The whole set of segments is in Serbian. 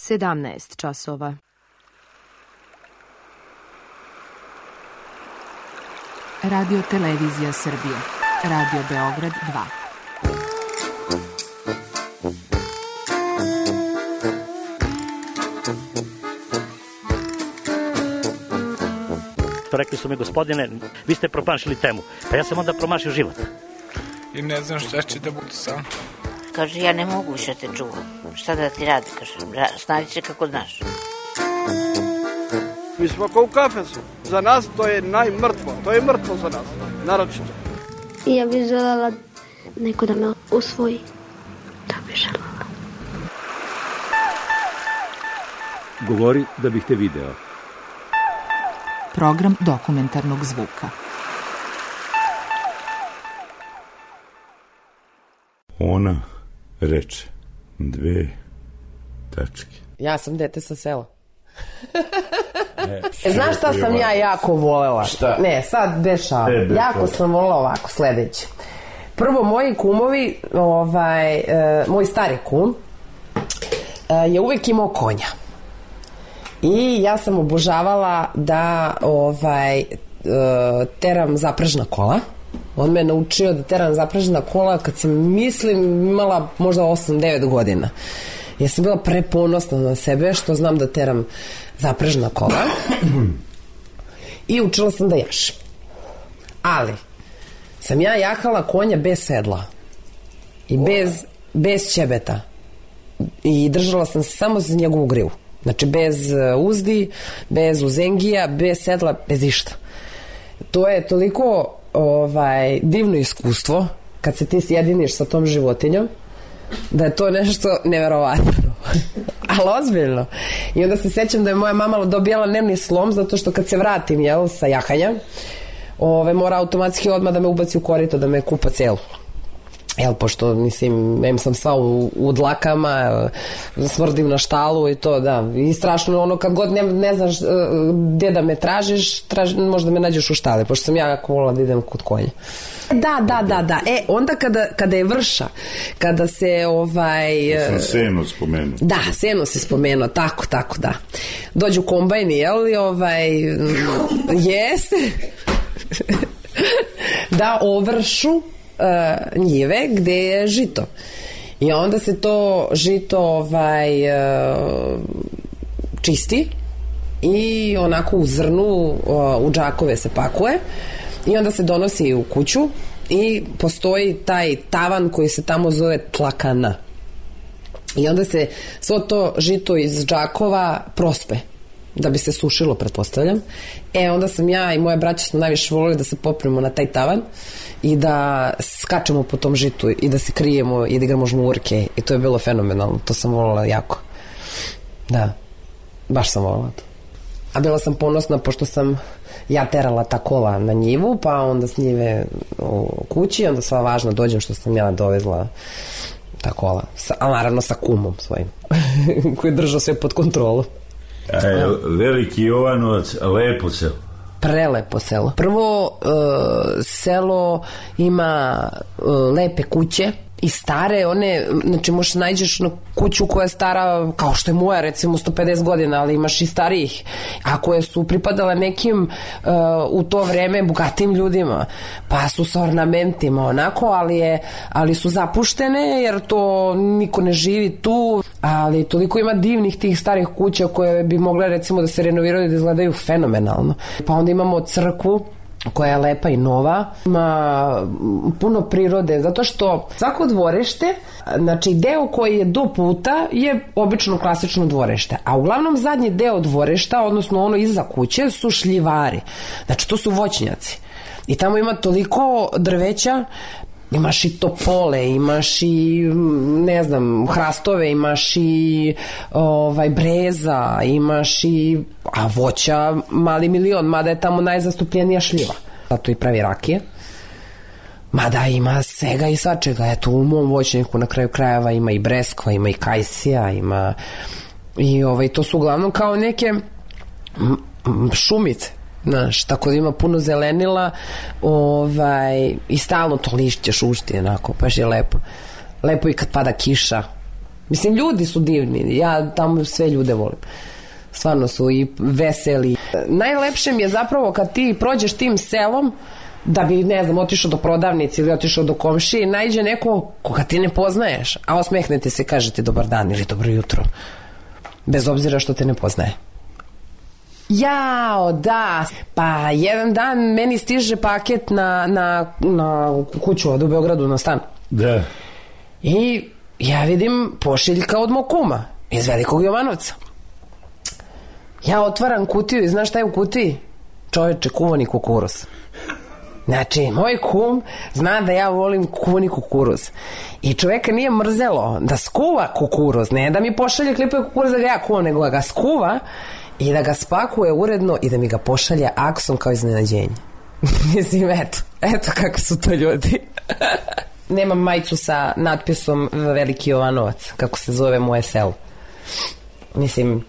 17 časova. Radio Televizija Srbije. Radio Beograd 2. Rekli su mi, gospodine, vi ste promašili temu. Pa ja sam onda promašio život. I ne znam šta će da bude sam. Kaže, ja ne mogu više te čuvam. Šta da ti radi, kaže, snađi se kako znaš. Mi smo kao u kafesu. Za nas to je najmrtvo. To je mrtvo za nas, naročito. I ja bih željela neko da me usvoji. To bih željela. Govori da bih te video. Program dokumentarnog zvuka. Ona reče 2 tačke. Ja sam dete sa sela. Znaš šta sam ja jako volela? Šta? Ne, sad dešava. Jako sam volela ovako, sledeće. Prvo, moji kumovi, moj stari kum je uvek imao konja. I ja sam obožavala da teram zaprežna kola. On me je naučio da teram zaprežna kola kad sam, mislim, imala možda 8-9 godina. Ja sam bila preponosna na sebe što znam da teram zaprežna kola. I učila sam da jašem. Ali sam ja jahala konja bez sedla i bez ćebeta. I držala sam se samo za njegovu grivu. Znači bez uzdi, bez uzengija, bez sedla, bez išta. To je toliko divno iskustvo kad se ti sjediniš sa tom životinjom, da je to nešto neverovatno. Ali ozbiljno. I onda se sećam da je moja mama dobijala nervni slom zato što kad se vratim sa jahanja, mora automatski odmah da me ubaci u korito, da me kupa celu. Pošto, mislim, sam sva u dlakama, smrdim na štalu i to, da. I strašno ono, kad god ne znaš gde da me tražiš, možda me nađeš u štali, pošto sam ja jako volila da idem kod konja. Da. Onda kada je vrša, kada se Sam seno spomenuo. Da, seno se spomenuo, tako, da. Dođu kombajni, jeste, da ovršu njive gde je žito. I onda se to žito čisti i onako u zrnu u džakove se pakuje i onda se donosi u kuću i postoji taj tavan koji se tamo zove tlakana. I onda se svo to žito iz džakova prospe da bi se sušilo, pretpostavljam. Onda sam ja i moje braće smo najviše volili da se popremo na taj tavan i da skačemo po tom žitu i da se krijemo i da igramo žmurke i to je bilo fenomenalno, to sam volila jako. Da, baš sam volila to. A bila sam ponosna pošto sam ja terala ta kola na njivu, pa onda s njive u kući, onda sva važno dođem što sam ja dovezla ta kola, ali naravno sa kumom svojim koji je držao sve pod kontrolu. Veliki Jovanovac, lepo selo. Prelepo selo. Prvo, selo ima lepe kuće i stare, znači možeš nađeš na kuću koja je stara, kao što je moja, recimo 150 godina, ali imaš i starijih, a koje su pripadale nekim u to vreme bogatim ljudima, pa su sa ornamentima onako, ali su zapuštene jer to niko ne živi tu, ali toliko ima divnih tih starih kuća koje bi mogle recimo da se renoviraju i da izgledaju fenomenalno. Pa onda imamo crkvu koja je lepa i nova, ima puno prirode, zato što svako dvorište, znači deo koji je do puta je obično klasično dvorište, a uglavnom zadnji deo dvorišta, odnosno ono iza kuće, su šljivari, znači to su voćnjaci i tamo ima toliko drveća, imaš i topole, imaš i ne znam, hrastove, imaš i breza, imaš i voća mali milion, mada je tamo najzastupljenija šljiva, zato i pravi rakije, mada ima svega i svačega. Eto, u mom voćniku na kraju krajeva ima i breskva, ima i kajsija, ima i to su uglavnom kao neke šumice, znaš, tako da ima puno zelenila i stalno to lišće šušti, onako, baš je lepo. Lepo i kad pada kiša, Mislim, ljudi su divni, ja tamo sve ljude volim. Stvarno su i veseli. Najlepše mi je zapravo kad ti prođeš tim selom, da bi, ne znam, otišao do prodavnice ili otišao do komšije i najđe neko koga ti ne poznaješ, a osmehnete se, kažete dobar dan ili dobro jutro, bez obzira što te ne poznaje. Jao, da, pa jedan dan meni stiže paket na kuću od u Beogradu, na stan. Da. I ja vidim pošiljka od mog kuma iz Velikog Jovanovca. Ja otvaram kutiju i znaš šta je u kutiji? Čoveče, kuvani kukuruz. Znači, moj kum zna da ja volim kuvani kukuruz. I čoveka nije mrzelo da skuva kukuruz, ne da mi pošalje klipove kukuruz da ga ja kuvam, nego da ga skuva i da ga spakuje uredno i da mi ga pošalje aksom kao iznenađenje. Mislim, eto kako su to ljudi. Nemam majicu sa natpisom Veliki Jovanovac, kako se zove moje selo. Mislim,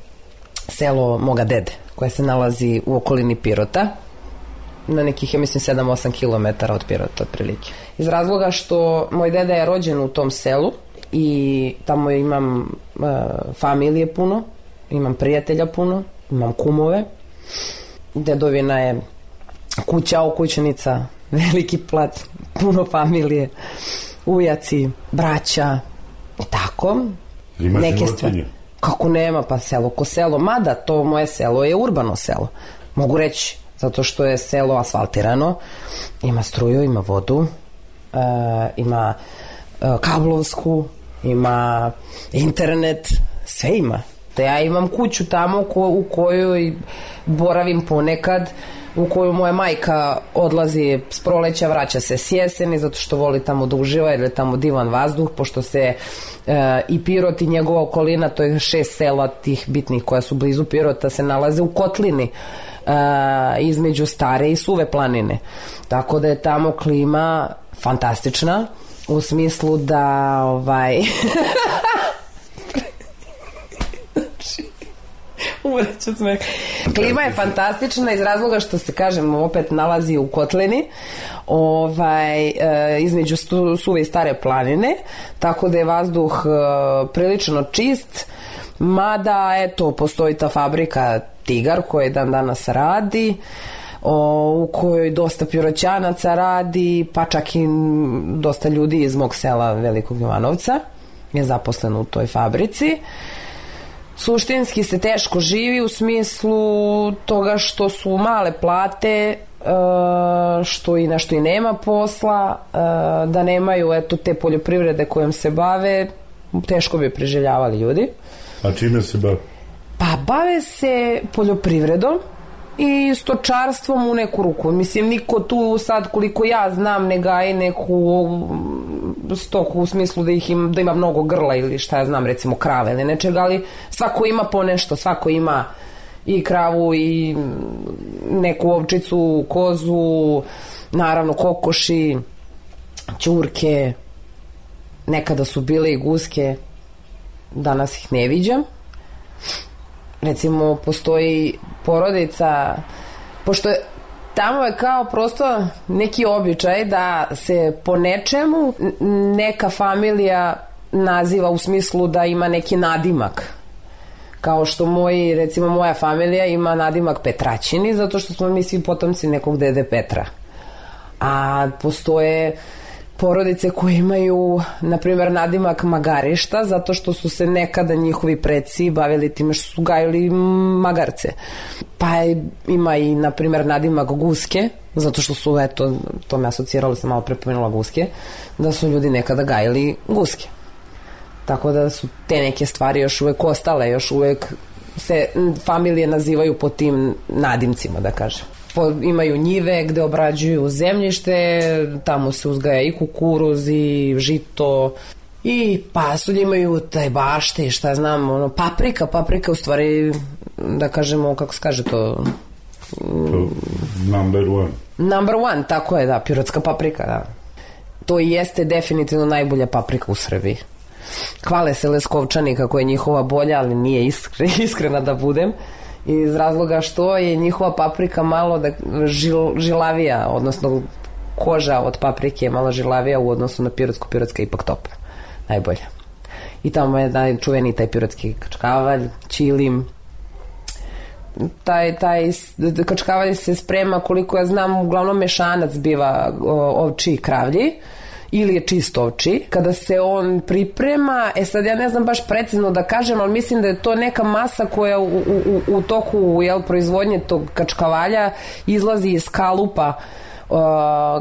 selo moga dede, koje se nalazi u okolini Pirota, na nekih, ja mislim, 7-8 km od Pirota, otprilike. Iz razloga što moj deda je rođen u tom selu i tamo imam familije puno, imam prijatelja puno, imam kumove. Dedovina je kuća, okućenica, veliki plac, puno familije, ujaci, braća i tako. Imaš životinje? Kako nema, pa selo ko selo. Mada to moje selo je urbano selo. Mogu reći, zato što je selo asfaltirano. Ima struju, ima vodu, ima kablovsku, ima internet, sve ima. Da ja imam kuću tamo u kojoj boravim ponekad, u koju moja majka odlazi s proleća, vraća se s jeseni, zato što voli tamo da uživa, jer je tamo divan vazduh, pošto se i Pirot i njegova okolina, to je 6 sela tih bitnih koja su blizu Pirota, se nalaze u kotlini između Stare i Suve planine. Tako da je tamo klima fantastična, u smislu da umreću smeh. Klima je fantastična iz razloga što se, kažem, opet nalazi u kotlini između Suve i Stare planine, tako da je vazduh prilično čist, mada eto postoji ta fabrika Tigar koja dan danas radi, u kojoj dosta Piroćanaca radi, pa čak i dosta ljudi iz mog sela Velikog Jovanovca je zaposleno u toj fabrici. Suštinski se teško živi u smislu toga što su male plate, što i nešto i nema posla, da nemaju te poljoprivrede kojom se bave, teško bi preživljavali ljudi. A čime se bave? Pa bave se poljoprivredom i stočarstvom u neku ruku. Mislim, niko tu sad, koliko ja znam, ne gaji neku stoku u smislu da ima mnogo grla ili šta ja znam, recimo krave ili nečega, ali svako ima po nešto, svako ima i kravu i neku ovčicu, kozu, naravno kokoši, ćurke, nekada su bile i guske, danas ih ne viđam. Recimo, postoji porodica, pošto tamo je kao prosto neki običaj da se po nečemu neka familija naziva u smislu da ima neki nadimak. Kao što recimo moja familija ima nadimak Petraćini, zato što smo mi svi potomci nekog dede Petra. A postoje porodice koje imaju, na primjer, nadimak Magarišta, zato što su se nekada njihovi preci bavili time što su gajili magarce. Pa ima i, na primjer, nadimak Guske, zato što su, eto, to me asociralo, sam malo prepomenula Guske, da su ljudi nekada gajili guske. Tako da su te neke stvari još uvek ostale, još uvek se familije nazivaju po tim nadimcima, da kažem. Imaju njive gde obrađuju zemljište, tamo se uzgaja i kukuruz i žito i pasulj, imaju taj bašte i šta znam, paprika u stvari, da kažemo, kako se kaže to? Number one, tako je, da, pirotska paprika, da. To i jeste definitivno najbolja paprika u Srbiji. Hvale se Leskovčani kako je njihova bolja, ali nije iskrena da budem, iz razloga što je njihova paprika malo žilavija, odnosno koža od paprike je malo žilavija u odnosu na pirotsku, pirotska je ipak top, najbolja. i tamo je čuveni taj pirotski kačkavalj, ćilim. Taj kačkavalj se sprema, koliko ja znam, uglavnom mešanac biva ovči i kravlji, ili je čist ovči. Kada se on priprema, sad ja ne znam baš precizno da kažem, ali mislim da je to neka masa koja u toku proizvodnje tog kačkavalja izlazi iz kalupa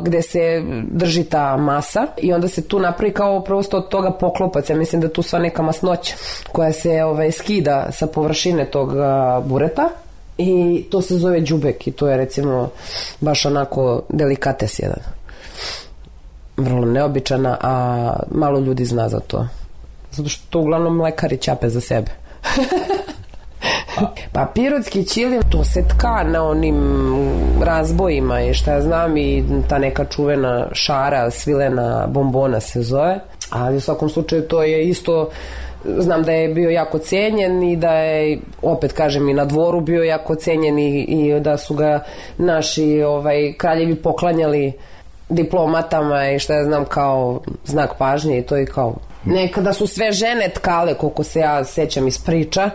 gde se drži ta masa i onda se tu napravi kao prosto od toga poklopac. Ja mislim da tu sva neka masnoća koja se skida sa površine tog bureta i to se zove đubek i to je recimo baš onako delikates jedan. Vrlo neobičana, a malo ljudi zna za to. Zato što to uglavnom mlekari ćape za sebe. Pa pirotski ćilim, to se tka na onim razbojima i šta ja znam i ta neka čuvena šara, svilena bombona se zove, ali u svakom slučaju to je isto, znam da je bio jako cenjen i da je, opet kažem, i na dvoru bio jako cenjen i da su ga naši kraljevi poklanjali diplomatama i šta ja znam kao znak pažnje i to je kao nekada su sve žene tkale, koliko se ja sećam iz priča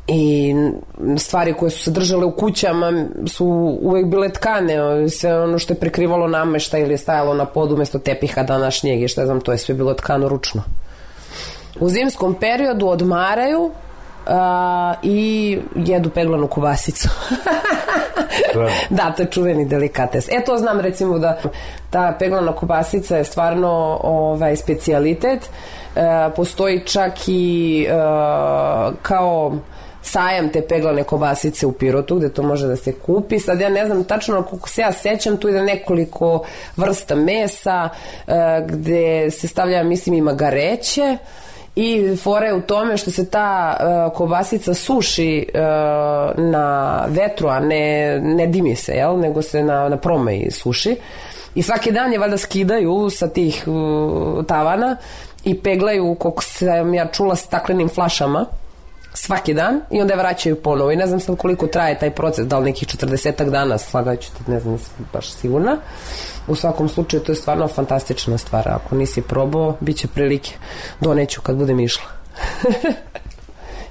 i stvari koje su se držale u kućama su uvek bile tkane, sve ono što je prekrivalo nameštaj ili je stajalo na podu umesto tepiha današnjeg i šta znam, to je sve bilo tkano ručno. U zimskom periodu odmaraju i jedu peglanu kobasicu. Da, to je čuveni delikates. To znam recimo da ta peglana kobasica je stvarno specijalitet. Postoji čak i kao sajam te peglane kobasice u Pirotu gde to može da se kupi. Sad ja ne znam tačno, koliko se ja sećam, tu ide nekoliko vrsta mesa gde se stavlja, mislim, i magareće i fora je u tome što se ta kobasica suši na vetru, a ne dimi se, nego se na promeji suši i svaki dan je valjda skidaju sa tih tavana i peglaju, koliko sam ja čula, staklenim flašama svaki dan i onda je vraćaju ponovo i ne znam sad koliko traje taj proces, da li nekih 40 dana, slagaću te, ne znam, baš sigurna. U svakom slučaju to je stvarno fantastična stvar, ako nisi probao, bit će prilike, doneću kad budem išla.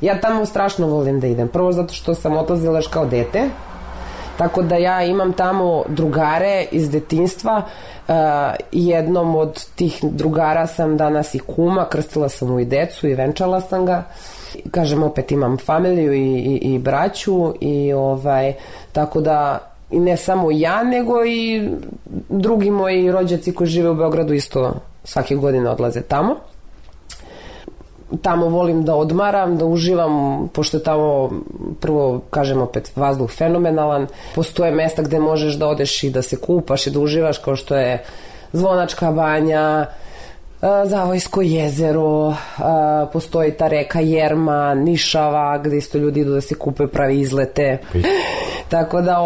Ja tamo strašno volim da idem, prvo zato što sam odlazila još kao dete, tako da ja imam tamo drugare iz detinjstva, jednom od tih drugara sam danas i kuma, krstila sam mu i decu i venčala sam ga. Kažem, opet imam familiju i braću i tako da i ne samo ja, nego i drugi moji rođaci koji žive u Beogradu isto svake godine odlaze tamo. Tamo volim da odmaram, da uživam, pošto je tamo, prvo, kažem opet, vazduh fenomenalan. Postoje mesta gde možeš da odeš i da se kupaš i da uživaš, kao što je Zvonačka banja, Zavojsko jezero, postoji ta reka Jerma, Nišava, gde isto ljudi idu da se kupaju, pravi izlete. Tako da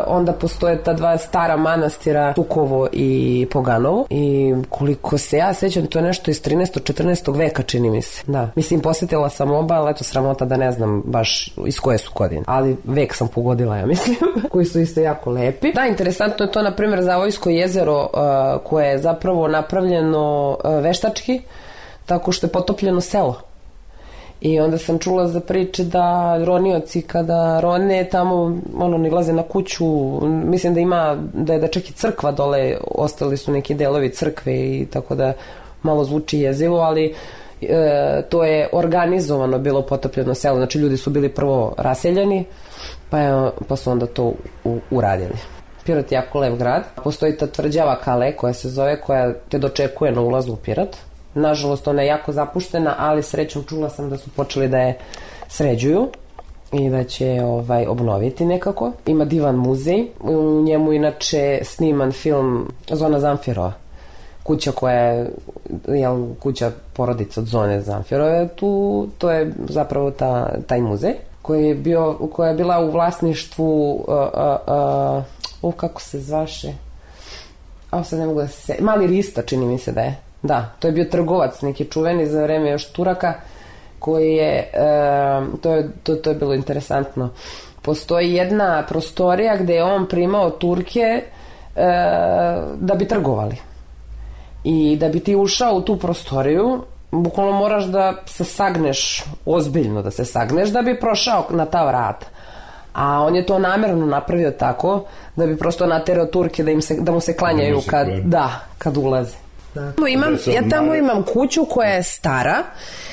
onda postoje ta dva stara manastira, Tukovo i Poganovo, i koliko se ja sećam, to je nešto iz 13. 14. veka, čini mi se. Da. Mislim, posetila sam oba, ali eto, sramota da ne znam baš iz koje su godine. Ali vek sam pogodila, ja mislim, koji su isto jako lepi. Da, interesantno je to, na primjer, Zavojsko jezero, koje je zapravo napravljeno veštački, tako što je potopljeno selo. I onda sam čula za priče da ronioci kada rone tamo nilaze na kuću, mislim da ima, da je čak i crkva dole, ostali su neki delovi crkve i tako da malo zvuči jezivo, ali to je organizovano bilo potopljeno selo, znači ljudi su bili prvo raseljeni pa su onda to uradili. Pirot je jako lep grad, postoji ta tvrđava Kale koja se zove, koja te dočekuje na ulazu u Pirot. Nažalost, ona je jako zapuštena, ali srećom čula sam da su počeli da je sređuju i da će obnoviti nekako. Ima divan muzej, u njemu inače sniman film Zona Zamfirova. Kuća koja je, kuća porodica od Zone Zamfirove, to je zapravo taj muzej koja je bila u vlasništvu, kako se zvaše, sad ne mogu da se, Mali Rista, čini mi se da je. Da, to je bio trgovac neki čuveni za vreme još Turaka, koji je, to je bilo interesantno. Postoji jedna prostorija gde je on primao Turke da bi trgovali. I da bi ti ušao u tu prostoriju, bukvalno moraš da se sagneš, ozbiljno da se sagneš, da bi prošao na ta vrata. A on je to namerno napravio tako da bi prosto naterao Turke da mu se klanjaju kad ulaze. Ja tamo imam kuću koja je stara.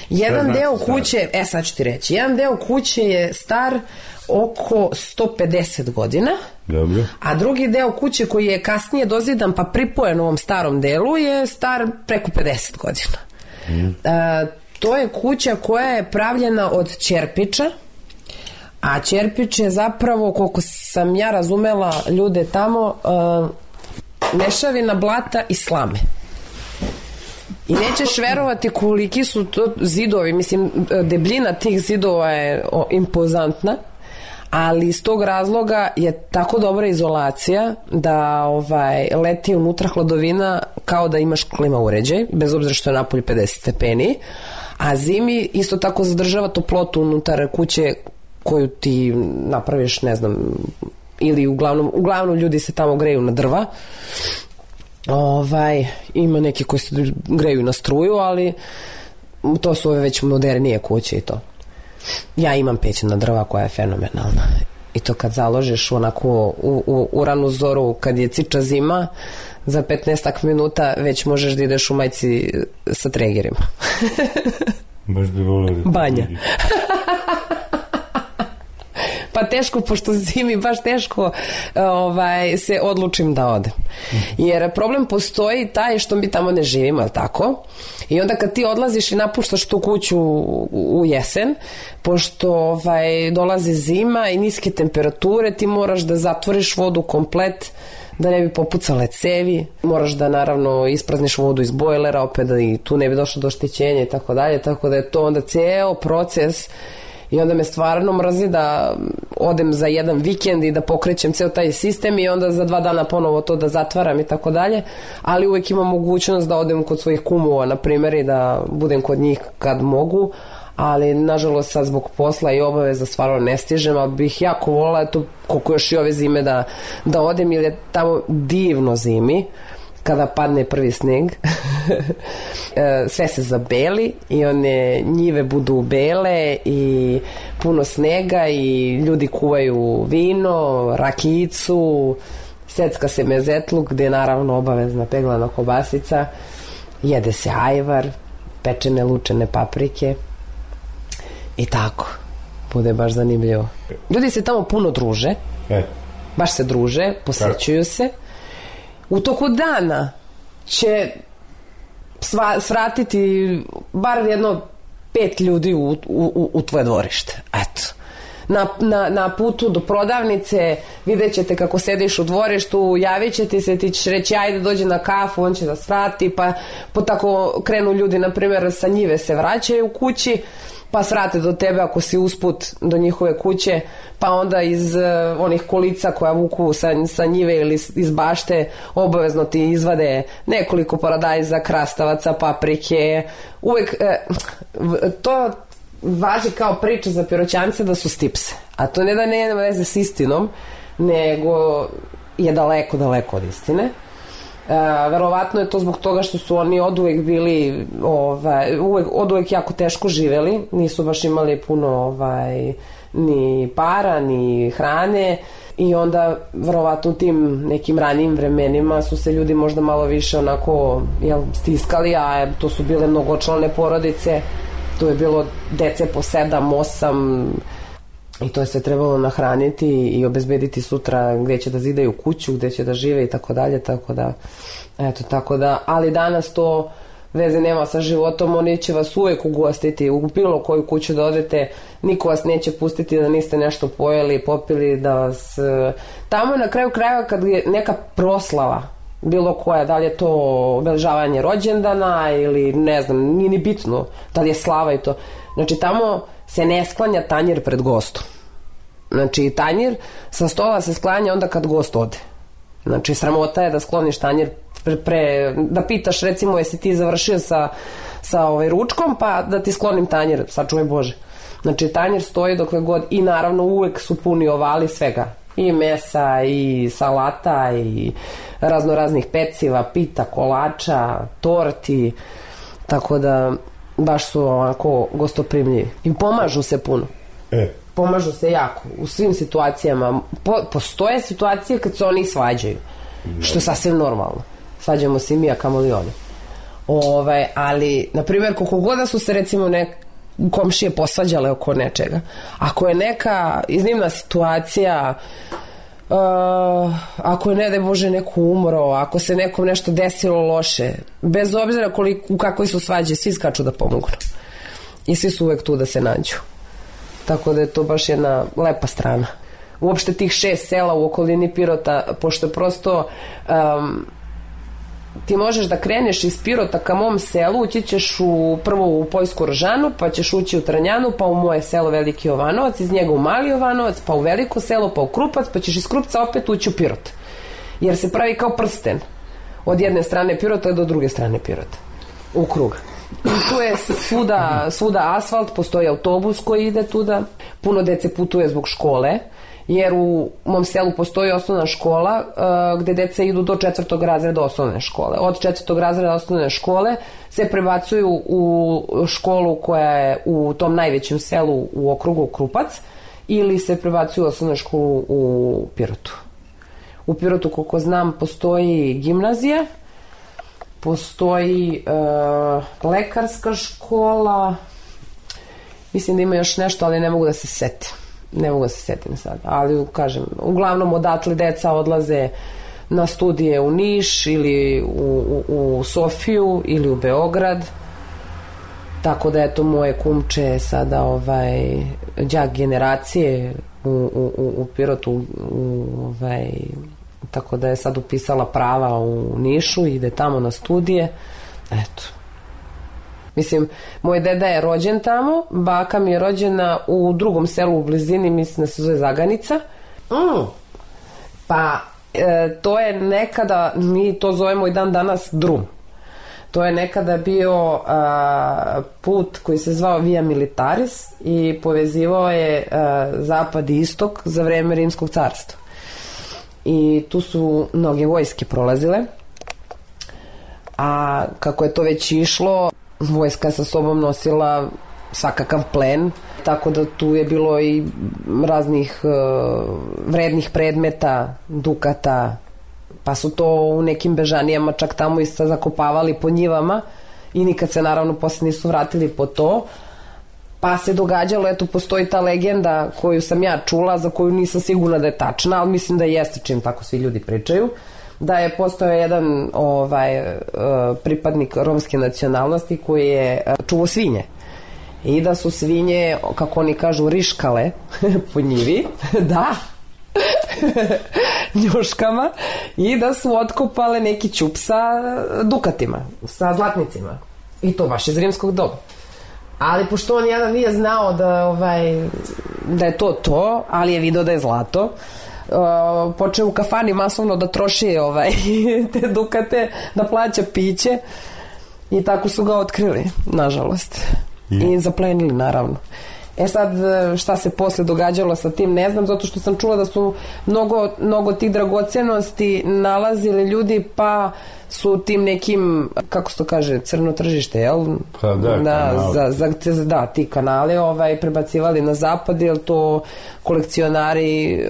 Jedan deo kuće, sad ću ti reći, jedan deo kuće je star oko 150 godina. Dobro. A drugi deo kuće koji je kasnije dozidan pa pripojen ovom starom delu je star preko 50 godina. To je kuća koja je pravljena od ćerpiča, a ćerpič je zapravo, koliko sam ja razumela ljude tamo, mešavina blata i slame. I nećeš verovati koliki su to zidovi, mislim, debljina tih zidova je impozantna, ali iz tog razloga je tako dobra izolacija da leti unutra hladovina kao da imaš klima uređaj, bez obzira što je napolje 50 stepeni, a zimi isto tako zadržava toplotu unutar kuće koju ti napraviš, ne znam, ili uglavnom ljudi se tamo greju na drva. Ima neki koji se greju na struju, ali to su ove već modernije kuće i to. Ja imam peć na drva koja je fenomenalna. I to kad založiš onako u ranu zoru, kad je ciča zima, za 15 minuta već možeš da ideš u majici sa tregerima. Baš bi volio da banja. Pa teško, pošto zimi baš teško se odlučim da odem. Jer problem postoji taj što mi tamo ne živimo, ali tako? I onda kad ti odlaziš i napuštaš tu kuću u jesen, pošto dolazi zima i niske temperature, ti moraš da zatvoriš vodu komplet, da ne bi popucale cevi, moraš da naravno isprazniš vodu iz bojlera opet da i tu ne bi došlo do oštećenja i tako dalje, tako da je to onda ceo proces. I onda me stvarno mrzi da odem za jedan vikend i da pokrećem ceo taj sistem i onda za 2 dana ponovo to da zatvaram i tako dalje, ali uvek imam mogućnost da odem kod svojih kumova, na primjer, i da budem kod njih kad mogu, ali nažalost sad zbog posla i obaveza stvarno ne stižem, ali bih jako volila koliko još i ove zime da odem, jer je tamo divno zimi. Kada padne prvi sneg, sve se zabeli i one njive budu bele i puno snega i ljudi kuvaju vino, rakijicu, secka se mezetluk, gde je naravno obavezna peglana kobasica, jede se ajvar, pečene lučene paprike i tako. Bude baš zanimljivo. Ljudi se tamo puno druže, baš se druže, posećuju se. U toku dana će svratiti bar jedno 5 ljudi u tvoje dvorište. Eto. Na putu do prodavnice vidjet ćete kako sediš u dvorištu, javit će ti se, ti ćeš reći ajde dođe na kafu, on će da svrati, pa tako krenu ljudi, na primjer sa njive se vraćaju u kući, pa svrate do tebe ako si usput do njihove kuće, pa onda iz onih kolica koja vuku sa njive ili iz bašte obavezno ti izvade nekoliko paradajza, krastavaca, paprike. Uvek to važi kao priča za Piroćance da su stipse, a to ne da nema veze s istinom, nego je daleko od istine. Verovatno je to zbog toga što su oni oduvek bili oduvek jako teško živeli, nisu baš imali puno ni para ni hrane i onda verovatno u tim nekim ranijim vremenima su se ljudi možda malo više onako stiskali, a to su bile mnogočlane porodice, to je bilo dece po 7, 8 i to je sve trebalo nahraniti i obezbediti sutra gde će da zidaju kuću, gde će da žive i tako dalje, tako da, ali danas to veze nema sa životom, oni će vas uvek ugostiti, u bilo koju kuću da odete, niko vas neće pustiti da niste nešto pojeli, popili, da vas... Tamo na kraju krajeva kad je neka proslava, bilo koja, da li je to obeležavanje rođendana ili ne znam, nije ni bitno, da li je slava i to. Znači tamo se ne sklanja tanjir pred gostom. Znači tanjir sa stola se sklanja onda kad gost ode. Znači sramota je da skloniš tanjir da pitaš recimo jesi ti završio sa ručkom pa da ti sklonim tanjir, sačuvaj Bože. Znači tanjir stoji dokle god i naravno uvek su puni ovali svega. I mesa, i salata, i raznoraznih peciva, pita, kolača, torti, tako da baš su ovako gostoprimljivi. I pomažu se puno. Pomažu se jako u svim situacijama. Postoje situacije kad se oni svađaju, što je sasvim normalno. Svađamo se i mi, a kamoli oni. Ali, na primjer, koliko god da su se recimo komšije posvađale oko nečega, ako je neka iznimna situacija, ako je ne daj Bože neko umro, ako se nekom nešto desilo loše, bez obzira u kakvoj su svađe, svi skaču da pomognu i svi su uvek tu da se nađu, tako da je to baš jedna lepa strana. Uopšte tih 6 sela u okolini Pirota, pošto je prosto ti možeš da kreneš iz Pirota ka mom selu, ući ćeš prvo u Poljsku Rožanu, pa ćeš ući u Trnjanu, pa u moje selo Veliki Jovanovac, iz njega u Mali Jovanovac, pa u Veliko selo, pa u Krupac, pa ćeš iz Krupca opet ući u Pirot. Jer se pravi kao prsten od jedne strane Pirota do druge strane Pirota. U krug. I tu je svuda asfalt, postoji autobus koji ide tuda, puno dece putuje zbog škole, jer u mom selu postoji osnovna škola gde deca idu do 4. razreda osnovne škole. Od 4. razreda osnovne škole se prebacuju u školu koja je u tom najvećem selu u okrugu Krupac ili se prebacuju u osnovnu školu u Pirotu. U Pirotu, koliko znam, postoji gimnazija, postoji lekarska škola, mislim da ima još nešto, ali ne mogu da se setim. Ne mogu da se setim sad, ali kažem, uglavnom odatle deca odlaze na studije u Niš ili u Sofiju ili u Beograd, tako da eto moje kumče sada đak generacije u Pirotu, tako da je sad upisala prava u Nišu i ide tamo na studije, eto. Mislim, moj deda je rođen tamo, baka mi je rođena u drugom selu u blizini, mislim da se zove Zaganica. Pa, to je nekada, mi to zovemo i dan danas drum. To je nekada bio put koji se zvao Via Militaris i povezivao je zapad i istok za vreme Rimskog carstva. I tu su mnoge vojske prolazile, a kako je to već išlo, vojska sa sobom nosila svakakav plen, tako da tu je bilo i raznih vrednih predmeta, dukata, pa su to u nekim bežanijama čak tamo i zakopavali po njivama i nikad se naravno posle nisu vratili po to. Pa se događalo, eto, postoji ta legenda koju sam ja čula, za koju nisam sigurna da je tačna, ali mislim da jeste, čim tako svi ljudi pričaju, da je postojao jedan pripadnik romske nacionalnosti koji je čuvao svinje i da su svinje, kako oni kažu, riškale po njivi, da, njuškama, i da su otkopale neki ćup sa dukatima, sa zlatnicima, i to baš iz rimskog doba. Ali pošto on jedan nije znao da je to, ali je video da je zlato, počeo u kafani masovno da troši te dukate, da plaća piće i tako su ga otkrili, nažalost, i zaplenili, naravno. E sad, šta se posle događalo sa tim, ne znam, zato što sam čula da su mnogo tih dragocenosti nalazili ljudi, pa su tim nekim, kako se to kaže, crno tržište, jel? Pa Da, ti kanale prebacivali na zapad, jer to kolekcionari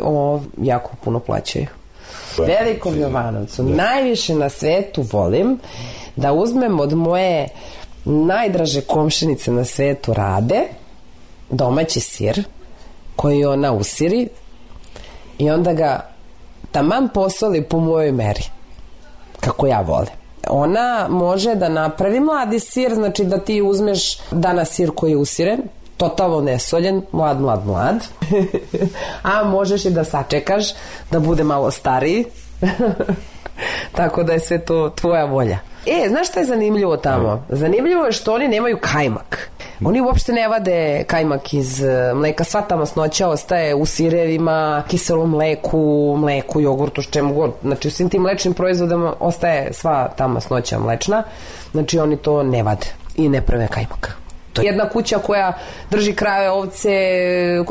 jako puno plaćaju. Velikom Jovanovcu najviše na svetu volim da uzmem od moje najdraže komšinice na svetu Rade domaći sir koji ona usiri i onda ga taman posoli po mojoj meri, kako ja volim. Ona može da napravi mladi sir, znači da ti uzmeš danas sir koji je usiren, totalno nesoljen, mlad, a možeš i da sačekaš da bude malo stariji, tako da je sve to tvoja volja. Znaš šta je zanimljivo tamo? Zanimljivo je što oni nemaju kajmak. Oni uopšte ne vade kajmak iz mleka, sva ta masnoća ostaje u sirevima, kiselom mleku, jogurtu, čemu god. Znači u svim tim mlečnim proizvodima ostaje sva ta masnoća mlečna, znači oni to ne vade i ne prave kajmak. To je jedna kuća koja drži krave, ovce,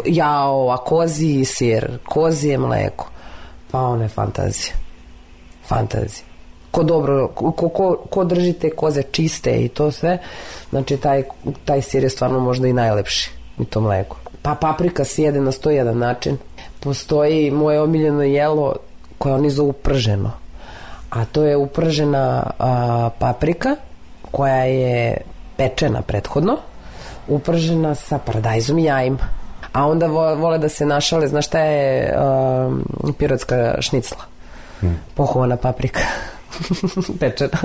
jao, a koziji sir, kozije mleko. Pa ono je fantazija. Fantazija. Ko drži te koze čiste i to sve, znači taj sir je stvarno možda i najlepši i to mleko. Pa paprika se jede na 101 način. Postoji moje omiljeno jelo koje oni zovu prženo, a to je upržena paprika koja je pečena prethodno, upržena sa paradajzom i jajima, a onda vole da se našale, znaš šta je pirotska šnicla, pohovana paprika pečena.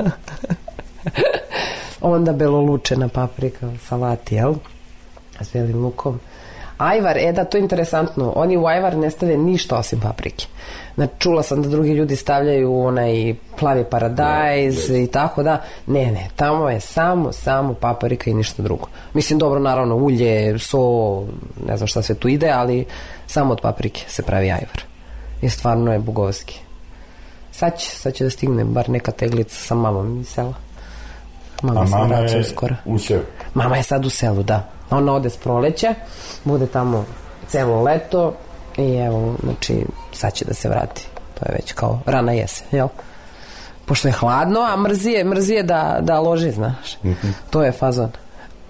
Onda belolučena paprika, salati, jel? S belim lukom. Ajvar, da, to je interesantno. Oni u ajvar ne stave ništa osim paprike. Znači, čula sam da drugi ljudi stavljaju onaj plavi paradajz i tako da. Ne, tamo je samo paprika i ništa drugo. Mislim, dobro, naravno, ulje, so, ne znam šta sve tu ide, ali samo od paprike se pravi ajvar. I stvarno je bogovski. Sad će da stigne bar neka teglica sa mamom iz sela. Mama je u selu? Mama je sad u selu, da. Ona ode s proleća, bude tamo celo leto i evo, znači, sad će da se vrati. To je već kao rana jesen, jel? Pošto je hladno, a mrzije da loži, znaš. To je fazon.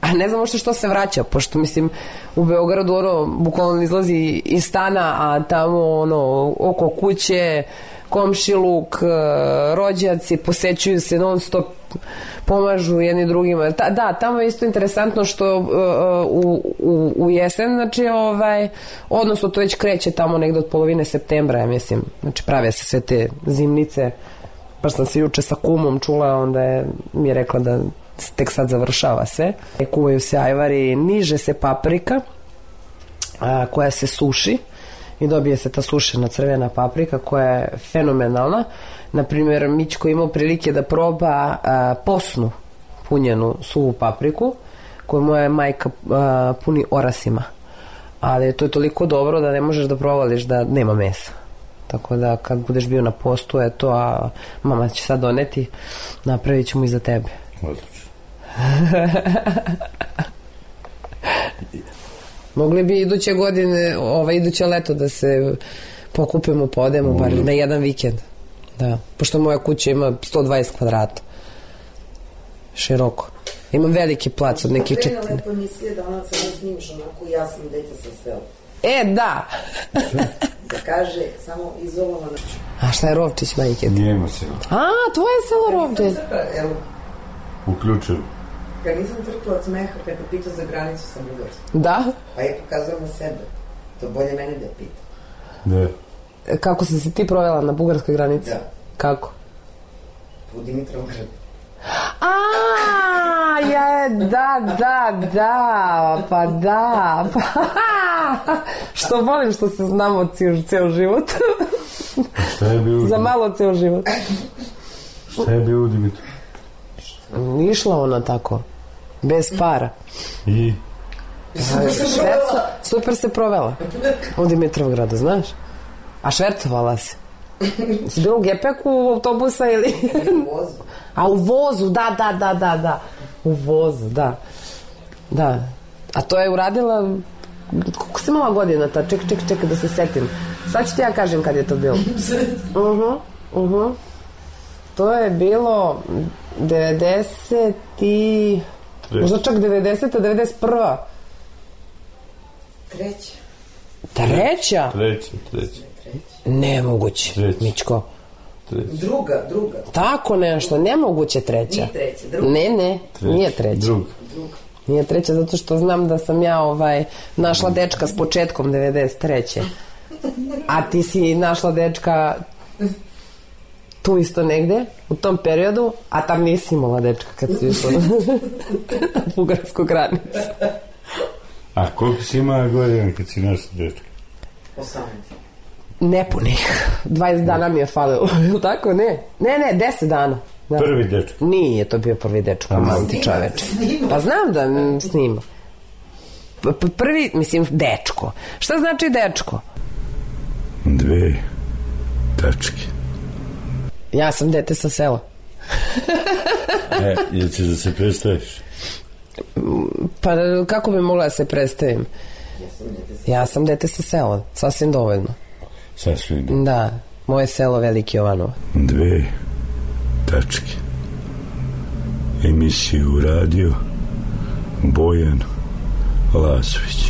A ne znam što se vraća, pošto, mislim, u Beogradu, bukvalno izlazi iz stana, a tamo, oko kuće, komšiluk, rođaci, posećuju se non stop, pomažu jedni drugima. Da, tamo je isto interesantno što u jesen, znači, odnosno to već kreće tamo negde od polovine septembra, ja mislim, znači prave se sve te zimnice, baš sam se juče sa kumom čula, onda mi je rekla da tek sad završava sve. Kuvaju se ajvari, niže se paprika koja se suši i dobije se ta sušena crvena paprika koja je fenomenalna. Naprimjer, Mićko imao prilike da proba posnu punjenu suvu papriku koju moja majka puni orasima, ali to je toliko dobro da ne možeš da provališ da nema mesa, tako da kad budeš bio na postu, eto, a mama će sad doneti, napravit ćemo i za tebe. Odlično. Mogli bi iduće godine, iduće leto da se pokupimo, pa odemo bar na jedan vikend. Da, pošto moja kuća ima 120 kvadrata. Široko. Imam veliki plac od nekih... Vrena lepo emisije da ona sada snimiš onako ja sam dete sa sela. Da! Da kaže samo izolovano. A šta je Rovčić, majke? Nijemo selo. Tvoje selo Rovčić. Evo. Uključujem. Kad nisam crkla od smeha, kad te pitao za granicu sa Bugarskom. Da? Pa je pokazala sebe. To bolje mene da je pita. Da. Kako si se ti provela na bugarskoj granici? Da. Kako? U Dimitrovgradu. Pa da. Što volim što se znamo ceo život. Šta je bio? Za malo ceo život. Šta je bio u Dimitru? Išla ona tako, bez para. I? Super se provela u Dimitrovgradu, znaš? A švercovala si? Si bila u gepeku autobusa ili? U vozu. A u vozu, da. U vozu, da. A to je uradila... Koliko si imala godina ta? Čekaj da se setim. Sad ću ti ja kažem kad je to bilo. To je bilo 90 i... Možda čak 90. 91. Treća? Treća. Nemoguće, Mićko. Druga. Tako nešto, nemoguće treća. Nije treća, druga. Ne, nije treća. Druga. Nije treća zato što znam da sam ja našla dečka s početkom 93. A ti si našla dečka tu isto negde, u tom periodu, a tam nisi imala dečka kad si išla na bugarsku granicu. A koliko si imala godina kad si našla dečka? 18. Nepunih. 20 dana mi je falilo. Tako, ne, 10 dana. Da. Prvi dečko? Nije to bio prvi dečko, manti čoveče. Pa znam da snima. Prvi, mislim, dečko. Šta znači dečko? 2 tačke. Ja sam dete sa sela. Jel ćeš da se predstaviš? Pa kako bi mogla da se predstavim? Ja sam dete sa sela, sasvim dovoljno. Sasvim dovoljno. Da, moje selo Veliki Jovanov. 2 tačke. Emisiju radio Bojan Lazović.